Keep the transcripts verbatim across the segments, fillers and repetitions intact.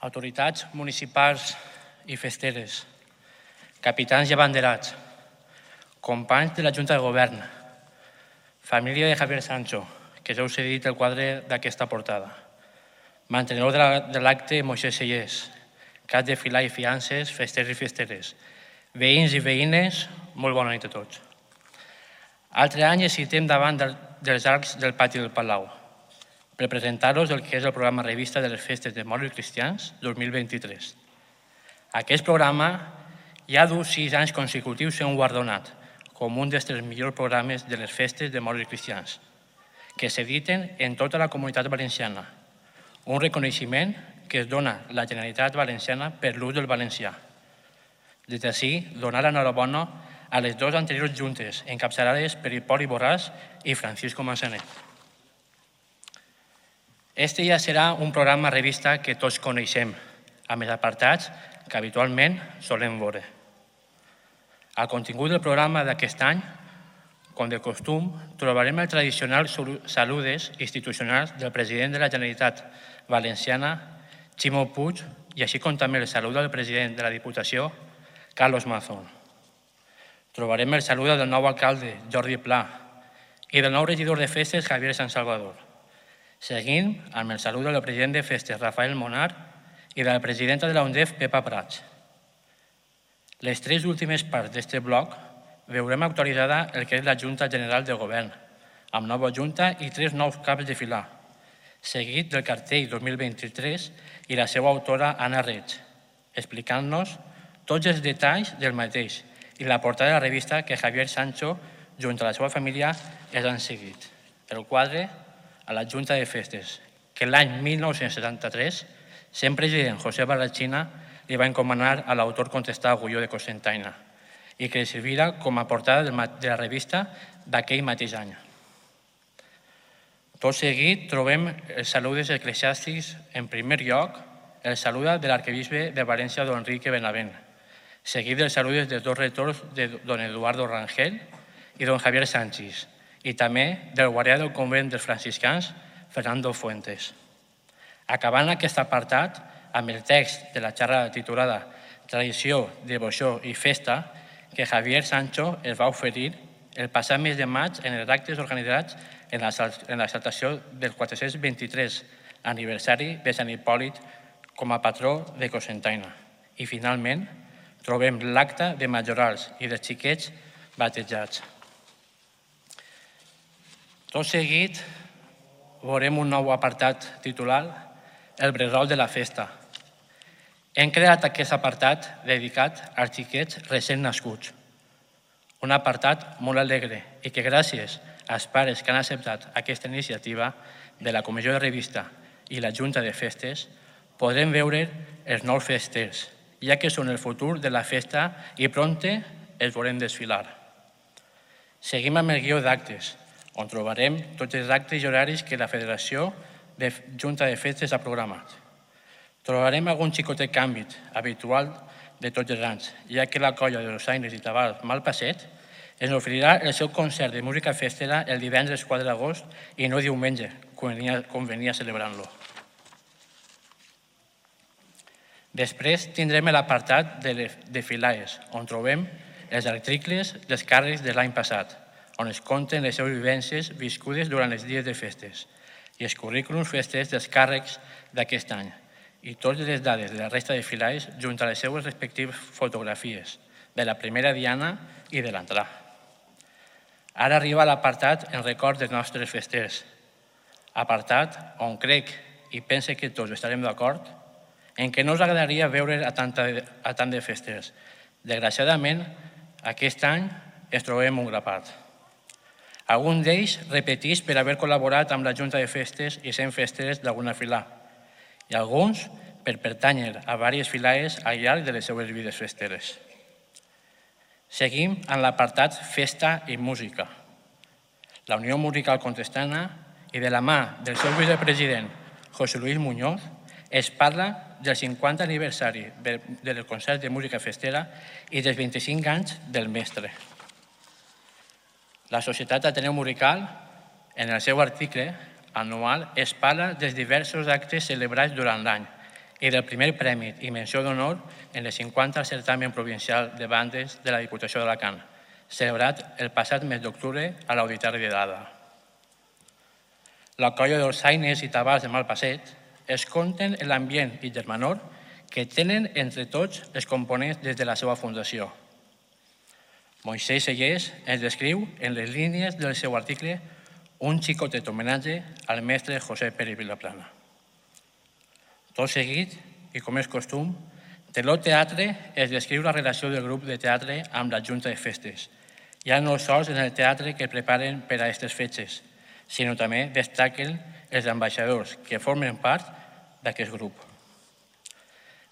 autoritats municipals i festeres, capitans i abanderats, companys de la Junta de Govern, família de Javier Sancho, que ja us he dit el quadre d'aquesta portada, mantenedor de l'acte Moisès Sellers, cap de filar i fiances, festers i festeres, veïns i veïnes, molt bona nit a tots. Altre any ens citem davant dels arcs del pati del Palau per presentar-vos el que és el programa revista de les festes de Moros i Cristians dos mil vint-i-tres. Aquest programa ja du sis anys consecutius sent guardonat com un dels tres millors programes de les festes de Moros i Cristians que s'editen en tota la Comunitat Valenciana, un reconeixement que es dona la Generalitat Valenciana per l'ús del valencià. Des d'ací, donar l'enhorabona a les dues anteriors juntes, encapçalades per Hipòlit Borràs i Francisco Massanet. Este ja serà un programa revista que tots coneixem, amb els apartats que habitualment solem veure. Al contingut del programa d'aquest any, com de costum, trobarem el tradicional saludes institucionals del president de la Generalitat Valenciana, Ximo Puig, i així com també el salut del president de la Diputació, Carlos Mazón. Trobarem el salut del nou alcalde, Jordi Pla, i del nou regidor de festes, Javier San Salvador, seguint amb el salut del president de festes, Rafael Monar, i de la presidenta de la UNDEF, Pepa Prats. Les tres últimes parts d'aquest bloc veurem actualitzada el que és la Junta General de Govern, amb nova Junta i tres nous caps de filar, seguit del cartell dos mil vint-i-tres i la seva autora, Anna Reig, explicant-nos tots els detalls del mateix i la portada de la revista que Javier Sancho, junt a la seva família, els han seguit. El quadre a la Junta de Festes, que l'any mil nou-cents setanta-tres, sent president José Barrachina, li va encomanar a l'autor contestar Agulló de Cocentaina i que li servirà com a portada de la revista d'aquell mateix any. Tot seguit trobem els saludes eclesiàstics. En primer lloc, el saluda de l'arquebisbe de València, don Enrique Benavent, seguit dels saludes dels dos rectors de don Eduardo Rangel i don Javier Sánchez, i també del guardià del convent dels franciscans, Fernando Fuentes. Acabant aquest apartat amb el text de la xerrada titulada Tradició, Devoció i Festa que Javier Sancho es va oferir el passat mes de maig en els actes organitzats en l'exaltació del quatre-cents vint-i-tres aniversari de Sant Hipòlit com a patró de Cocentaina. I finalment trobem l'acte de majorals i de xiquets batejats. Tot seguit veurem un nou apartat titulat El bressol de la festa. Hem creat aquest apartat dedicat als xiquets recent nascuts. Un apartat molt alegre i que gràcies als pares que han acceptat aquesta iniciativa de la Comissió de Revista i la Junta de Festes podrem veure els nous festers, ja que són el futur de la festa i prompte els veurem desfilar. Seguim amb el guió d'actes, on trobarem tots els actes i horaris que la Federació de Junta de Festes ha programat. Trobarem algun xicotet canvi habitual de tots els anys, ja que la colla de Dolçaines i Tabal Malpasset ens oferirà el seu concert de música festera el divendres quatre d'agost i no diumenge, com venia celebrant-lo. Després tindrem l'apartat de filaes, on trobem els articles dels càrrecs de l'any passat, on es conten les seves vivències viscudes durant els dies de festes i els currículums festers dels càrrecs d'aquest any, i totes les dades de la resta de filaes junt a les seues respectives fotografies de la primera diana i de l'entrada. Ara arriba l'apartat en record dels nostres festers, apartat on crec i pense que tots estarem d'acord en què no us agradaria veure a tant de festers. Desgraciadament, aquest any ens trobem un grapat. Alguns d'ells repetits per haver col·laborat amb la Junta de Festes i sent festers d'alguna filà, i alguns per pertànyer a diverses filaes al llarg de les seues vides festeres. Seguim amb l'apartat Festa i Música. La Unió Musical Contestana i de la mà del seu vicepresident, José Luis Muñoz, es parla del cinquanta aniversari del concert de música festera i dels vint-i-cinc anys del mestre. La Societat Ateneu Musical, en el seu article anual, es parla dels diversos actes celebrats durant l'any i del primer premi i menció d'honor en el cinquanta certamen provincial de bandes de la Diputació d'Alacant, celebrat el passat mes d'octubre a l'Auditori de Dada. La colla dolçaines i tabals de Malpasset es compten en l'ambient i germanor que tenen entre tots els components des de la seva fundació. Moisès Sellers ens descriu en les línies del seu article un xicotet homenatge al mestre José Pérez Vilaplana. Tot seguit, i com és costum, Teló Teatre es descriu la relació del grup de teatre amb la Junta de Festes, ja no sols en el teatre que preparen per a aquestes fetges, sinó també destaquen els ambaixadors que formen part d'aquest grup.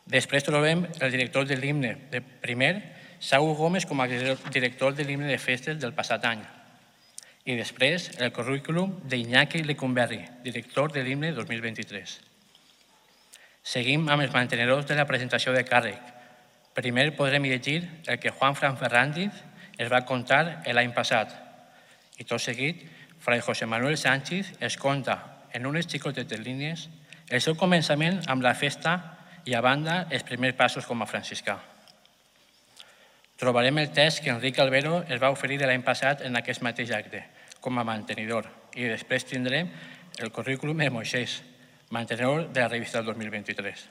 Després trobem el director de l'himne de primer, Saúl Gómez, com a director de l'himne de festes del passat any. I després el currículum d'Iñaki Lecumberri, director de l'himne dos mil vint-i-tres. Seguim amb els mantenedors de la presentació de càrrec. Primer podrem llegir el que Juan Fran Ferrandiz es va contar l'any passat. I tot seguit, Fray José Manuel Sánchez es conta en unes xicotetes línies el seu començament amb la festa i a banda els primers passos com a franciscà. Trobarem el text que Enric Albero es va oferir l'any passat en aquest mateix acte, com a mantenidor, i després tindrem el currículum de Moisès, mantenedor de la revista del dos mil vint-i-tres.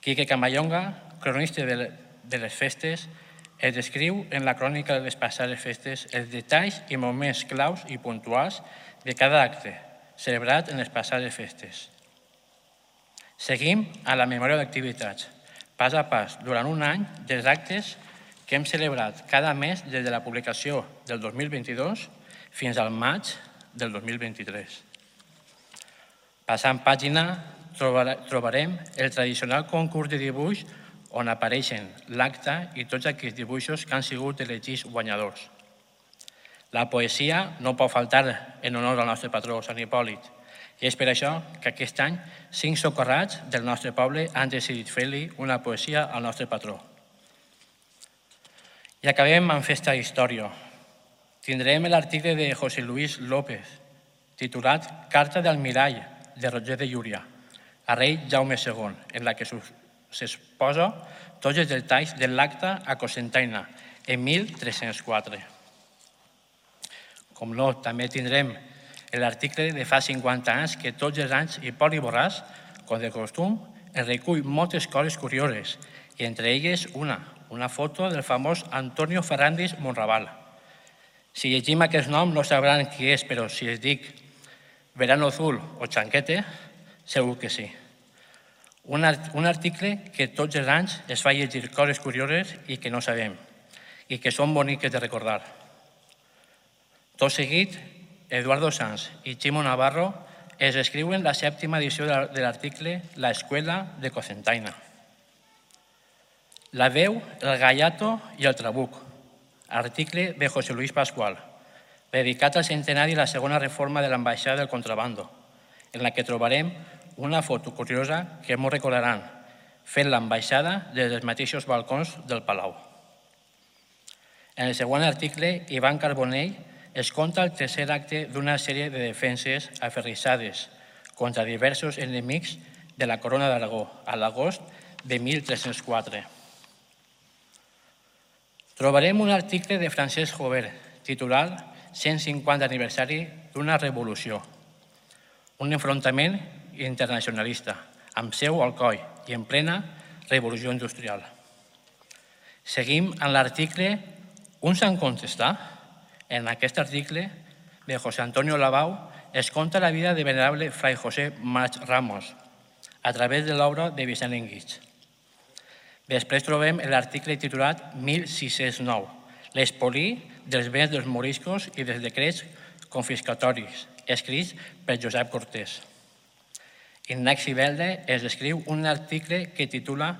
Quique Camayonga, cronista de les festes, es descriu en la crònica de les passades festes els detalls i moments claus i puntuals de cada acte celebrat en les passades festes. Seguim a la memòria d'activitats, pas a pas, durant un any, dels actes que hem celebrat cada mes des de la publicació del dos mil vint-i-dos fins al maig del dos mil vint-i-tres. Passant pàgina, trobarem el tradicional concurs de dibuix on apareixen l'acte i tots aquells dibuixos que han sigut elegits guanyadors. La poesia no pot faltar en honor al nostre patró, Sant Hipòlit, i és per això que aquest any cinc socorrats del nostre poble han decidit fer-li una poesia al nostre patró. I acabem amb festa història. Tindrem l'article de José Luis López, titulat Carta del Mirall, de Roger de Llúria, a rei Jaume segon, en la que s'exposa tots els detalls de l'acte a Cocentaina, en mil tres-cents quatre. Com no, també tindrem l'article de fa cinquanta anys que tots els anys Hipòlit Borràs, com de costum, es recull moltes coses curioses, i entre elles una, una foto del famós Antonio Ferrandis Monraval. Si llegim aquest nom no sabran qui és, però si es dic Verano Azul o Chanquete, segur que sí. Un article que tots els anys es fa llegir coses curioses i que no sabem, i que són boniques de recordar. Tot seguit, Eduardo Sanz i Chimo Navarro es escriuen la sèptima edició de l'article La Escuela de Cocentaina. La veu, el gallato i el trabuc, article de José Luis Pascual, dedicat al centenari de la segona reforma de l'ambaixada del contrabando, en la que trobarem una foto curiosa que ens recordaran, fent l'ambaixada des dels mateixos balcons del Palau. En el següent article, Ivan Carbonell es conta el tercer acte d'una sèrie de defenses aferrissades contra diversos enemics de la Corona d'Aragó a l'agost de mil tres-cents quatre. Trobarem un article de Francesc Jover, titulat cent cinquanta aniversari d'una revolució, un enfrontament internacionalista, amb seu al coll i en plena revolució industrial. Seguim amb l'article Un sant contestar. En aquest article de José Antonio Labau es conta la vida de venerable Fray José March Ramos a través de l'obra de Vicent Enguix. Després trobem l'article titulat mil sis-cents nou, l'espoli dels béns dels moriscos i dels decrets confiscatoris, escrits per Josep Cortés. Ignasi Belde es descriu un article que titula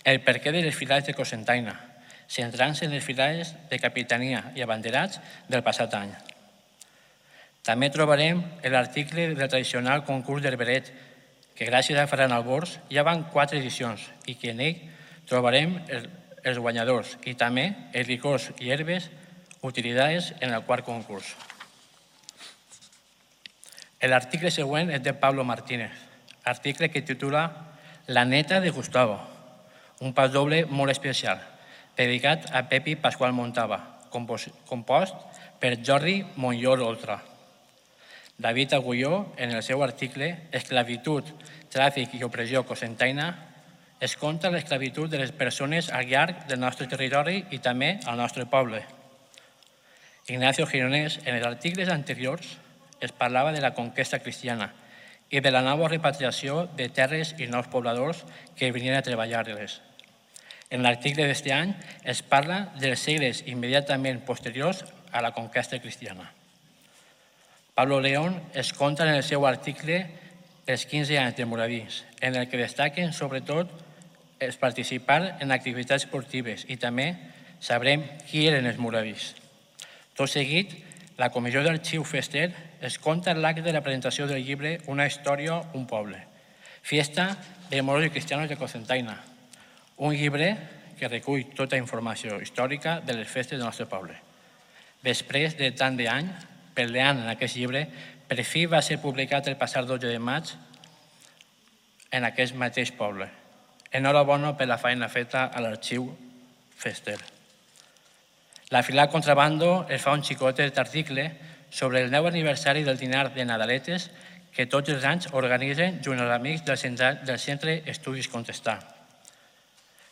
El perquè de les filades de Cocentaina, centrant-se en les filades de capitania i abanderats del passat any. També trobarem l'article del tradicional concurs d'herberet, que gràcies a Ferran Albors ja van quatre edicions i que en ell trobarem els guanyadors i també els licors i herbes utilitzades en el quart concurs. L'article següent és de Pablo Martínez, article que titula La neta de Gustavo, un pas doble molt especial, dedicat a Pepi Pasqual Montava, compost per Jordi Monllor Oltra. David Agulló, en el seu article Esclavitud, tràfic i opressió cocentaina, es conta l'esclavitud de les persones al llarg del nostre territori i també al nostre poble. Ignacio Gironès, en els articles anteriors, es parlava de la conquesta cristiana i de la nova repatriació de terres i nous pobladors que venien a treballar-les. En l'article d'aquest any es parla dels segles immediatament posteriors a la conquesta cristiana. Pablo León es conta en el seu article els quinze anys de Moravís, en el que destaquen sobretot els participar en activitats esportives i també sabrem qui eren els moravís. Tot seguit, la Comissió d'Arxiu Fester es conta l'acte de la presentació del llibre Una història, un poble, Fiesta de moros i cristianos de Cocentaina, un llibre que recull tota informació històrica de les festes del nostre poble. Després de tant d'any, peleant en aquest llibre, per fi va ser publicat el passat dotze de maig en aquest mateix poble. Enhorabona per la feina feta a l'Arxiu Fester. La filial Contrabando es fa un xicotet article sobre el nou aniversari del dinar de Nadaletes que tots els anys organitzen junt als amics del Centre Estudis Contestar.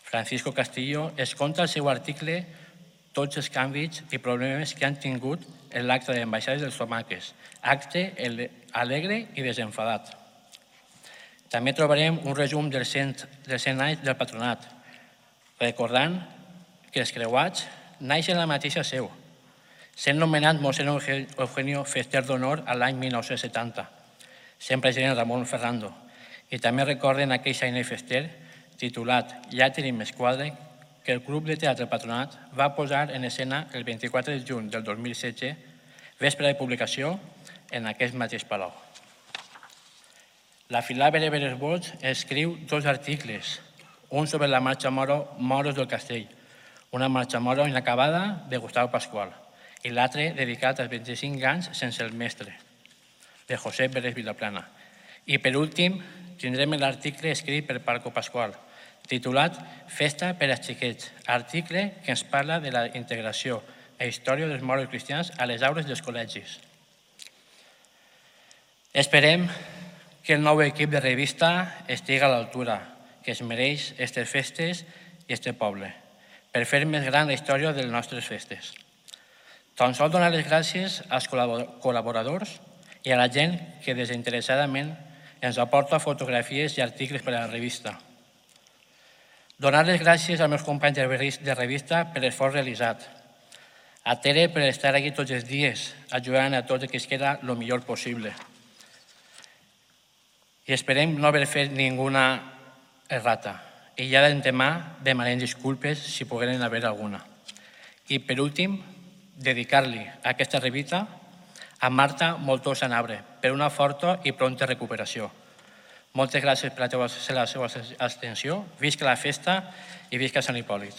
Francisco Castillo es conta el seu article tots els canvis i problemes que han tingut en l'acte d'ambaixades dels tomaques, acte alegre i desenfadat. També trobarem un resum dels cent anys del patronat, recordant que els creuats naixen a la mateixa seu, sent nomenat mossèn Eugenio Fester d'Honor a l'any mil nou-cents setanta, sent president Ramon Ferrando, i també recorden aquell Xainer Fester titulat Llàter i Mesquadre que el Club de Teatre Patronat va posar en escena el vint-i-quatre de juny del dos mil setze, vespre de publicació, en aquest mateix palau. La filial Bereberes Bots escriu dos articles, un sobre la marxa moro Moros del Castell, una marxa moro inacabada de Gustavo Pasqual, i l'altre dedicat als vint-i-cinc anys sense el mestre, de José Beres Vilaplana. I per últim, tindrem l'article escrit per Paco Pasqual, titulat Festa per als xiquets, article que ens parla de la integració e història dels moros cristians a les aules dels col·legis. Esperem que el nou equip de revista estigui a l'altura que es mereix aquestes festes i aquest poble, per fer més gran la història de les nostres festes. Tan sols donar les gràcies als col·laboradors i a la gent que desinteressadament ens aporta fotografies i articles per a la revista. Donar les gràcies als meus companys de revista per l'esforç realitzat. A Tere per estar aquí tots els dies, ajudant a tots que es queda el millor possible. I esperem no haver fet ninguna errata. I ja d'antemà demanem disculpes si pogueren haver alguna. I per últim, dedicar-li aquesta revista a Marta Moltó Sanabre per una forta i pronta recuperació. Moltes gràcies per la seva atenció, visca la festa i visca Sant Hipòlit.